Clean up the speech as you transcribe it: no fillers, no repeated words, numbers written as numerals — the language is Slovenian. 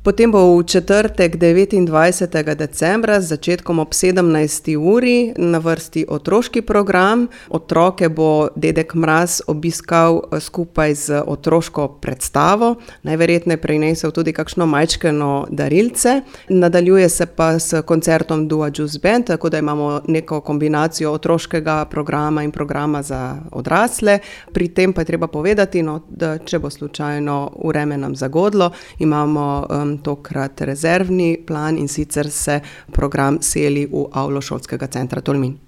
Potem bo v četrtek 29. decembra z začetkom ob 17. uri na vrsti otroški program. Otroke bo Dedek Mraz obiskal skupaj z otroško predstavo. Najverjetneje prinesel tudi kakšno majčkeno darilce. Nadaljuje se pa s koncertom Dua Jus Band, tako da imamo neko kombinacijo otroškega programa in programa za odrasle. Pri tem pa je treba povedati, da če bo slučajno vreme nam zagodlo, imamo tokrat rezervni plan, in sicer se program seli v avlo šolskega centra Tolmin.